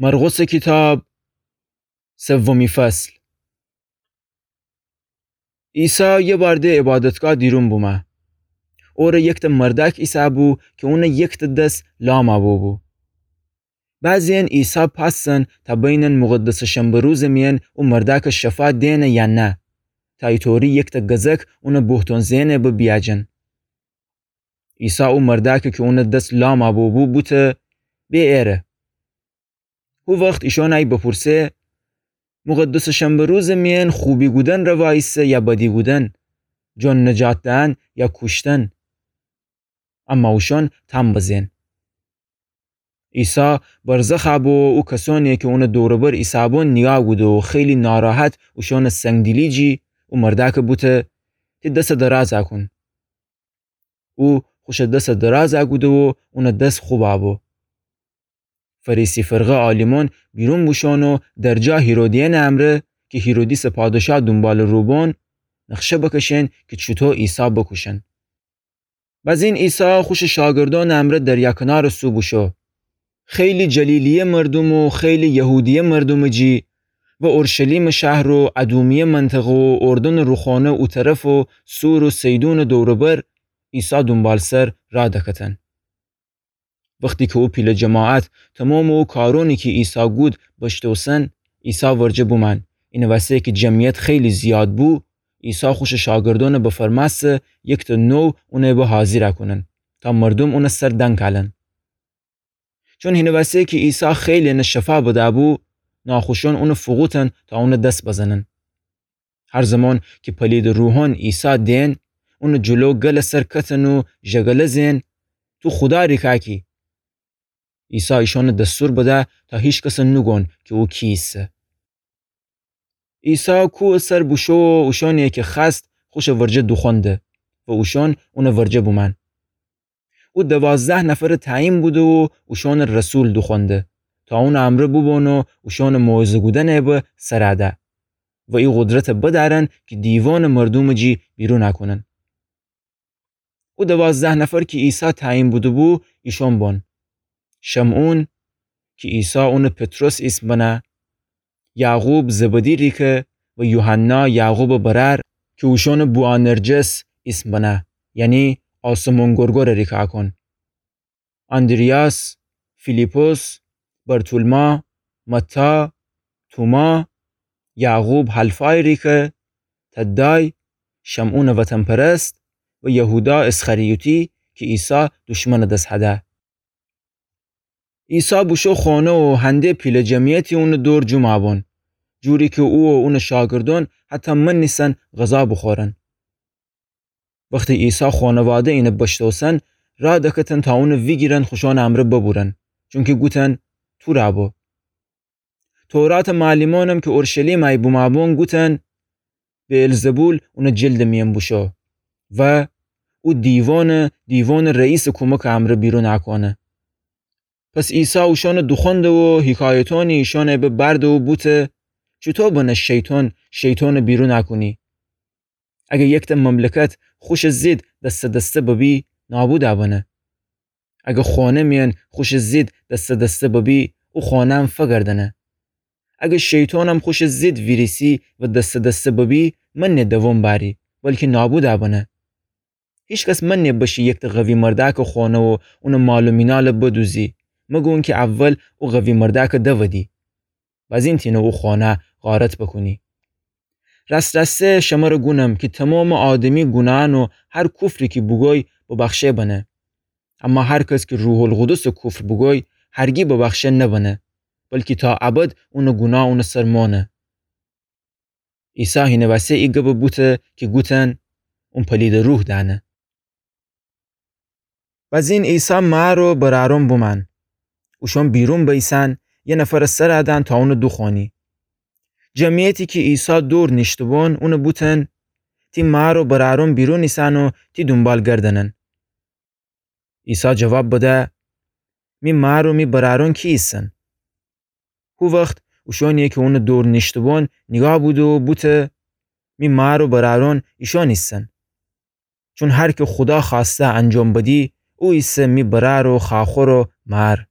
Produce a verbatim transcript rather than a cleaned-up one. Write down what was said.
مرقسٚ کیتاب، سومی فصل. عیسی یه بار د عبادتگاه دیرون بومه. اوره یکتأ مردأک ایسه‌بو کی اونٚ یکتأ دس لام أبو بو. بعضی‌یأن عیسی پأس زن تا بینن مقدسٚ شنبه روزٚ میأن او مردأکٚ شفا دئنه یا نه، تا ایطوری یکتأ گزک اونٚ بوهتون زئنٚ به بیأجن. عیسی او مردأکٚ کی اونٚ دس لام أبو بو بوته: به ایره. هو وخت ایشان ای بپورسه: مقدسٚ شنبه روزٚ میأن خوبی گودن روا ایسه یا بدی گودن؟ جون نجات دئن یا کوشتن؟ اما اوشان تام بزئن. عیسی برزخ أبو و او کسأنی کی اونٚ دور و بر ایسه‌بون نیگاه گوده و خیلی ناراحت اوشانٚ سنگدیلی جی او مردأکٚ بوته: تی دسٚ دراز أکون. او خوشٚ دسٚ دراز أکوده و اونٚ دس خوب أبو. فریسی فرقه عالیمأن بیرون بوشون و درجا هیرودیأنٚ امرأ کی هیرودیسٚ پادشاه دونبالٚ رو بون، نقشه بکشئن کی چوطو عیسی بکوشن. بزین عیسی خوشٚ شاگردأنٚ امرأ دریا کنارٚ سو بوشو. خیلی جلیلیه مردوم و خیلی یهودیه مردومٚ جی و اورشلیمٚ شهر و ادومیه منطقه و اردنٚ روخانه او طرف و صور و صیدونٚ دور و بر عیسی دونبالسر راه دکتن. وختی کی او پیله جماعت تومامٚ او کارونی کی عیسی گود بشتوسن، عیسی ورجه بومأن. اینٚ وسه کی جمعیت خیلی زیاد بو، عیسی خوشٚ شاگردأن بفرمأسته یکتأ نو اون به حاضیر کونن تا مردوم اونٚ سر دنکالن. چون هینٚ وسه کی عیسی خیلی‌یأنٚ شفا بدأ بو، ناخوشأن اون فوقوتن تا اونٚ دس بزنن. هر زمان کی پلیدٚ روحأن عیسی دئن، اونٚ جلو گلٚ سر کتن و ژگله زئن: تو خودا ریکاکی! عیسی ایشأنٚ دستور بده تا هیکس نوگون کی او کی ایسه. عیسی کوهٚ سر بوشو و اوشأنی کی خوأست خوشٚ ورجه دوخوأنده و اوشأن اونٚ ورجه بومأن. او دوازده نفرٚ تعیین بوده و اوشأنٚ رسول دوخوأنده تا اونٚ امرأ بوبون و اوشأنٚ موعظه گودنٚ به سر ده و ای قدرت بدأرن کی دیوانٚ مردومٚ جی بیرون کونن. او دوازده نفر کی عیسی تعیین بوده بو، ایشأن بون: شمعون، کی عیسی اونٚ پطرس ایسم بنه، یعقوب زبدی ریکه و یوحنا یعقوبٚ برأر کی اوشأنٚ بوآنرجس ایسم بنه، یعنی آسمون گرگرٚ ریکاکون، آندریاس، فیلیپس، برتولما، متی، توما، یعقوب حلفای ریکه، تدای، شمعونٚ وطن‌پرست و یهودا اسخریوطی کی عیسی دوشمنٚ دس هده. عیسی بوشو خانه و هنده پیله جمعیتی اونٚ دور جمع بون، جوری کی او و اونٚ شاگردأن حتی منیسن غذا بوخورن. وختی عیسی خانواده اینه بشتوسن، راه دکتن تا اونه ویگیرن خوشانٚ امرأ ببورن، چونکی گوتن تور بو. توراتٚ معلمأنم کی اورشلیم ای بومأبون گوتن بعلزبول اونٚ جلدٚ میأن بوشو و او دیوانٚ، دیوانٚ رئیسٚ کومکٚ امرأ بیرون اکونه. پس عیسی اوشأنٚ دوخوأنده و حیکایتأنی ایشأنٚ به بأرده و بوته چوطو بنه شیطان شیطانٚ بیرون اکونی؟ اگر یکتأ مملکت خوشٚ ضد دسته دسته ببی، نابود بنه. اگر خانه میأن خوشٚ ضد دسته دسته ببی، او خانه‌م فگردنه. اگر شیطانم خوشٚ ضد ویریسی و دسته دسته ببی، منه دوام بأری، بلکی نابود بنه. هیچکس منه بشه یکتأ قوی مردأکٚ خانه و اونٚ مال و مینال بدوزی، مگه اونکی اول او قوی مردأک دودی. بازین تینه او خانه غارت بکونی. راست راسته شمره گونم کی تومامٚ آدمی گوناهأن و هر کفری کی بوگوی ببخشه بنه. اما هر کس کی روح‌القدسٚ کفر بوگوی هرگی ببخشه نبنه، بلکی تا ابد اونٚ گوناه اونٚ سر مانه. عیسی هینٚ وسه ای گب بوته کی گوتن اون پلیدٚ روح دأنه. بازین عیسی مار و برأرون بومأن. اوشأن بیرون بیسن، یه نفرٚ سر دأن تا اونه دوخوأنی. جمعیتی کی عیسی دور نیشته‌بون اونه بوتن تی مار و برأرون بیرون ایسن و تی دونبال گردنن. عیسی جواب بده می مار و می برأرون کی ایسن؟ هو وخت اوشأنی کی اونٚ دور نیشته‌بون نیگاه بوده و بوته می مار و برأرون ایشأن ایسن. چون هر کی خودا خوأسته انجام بدی، او ایسه می برأر و خواخور و مار.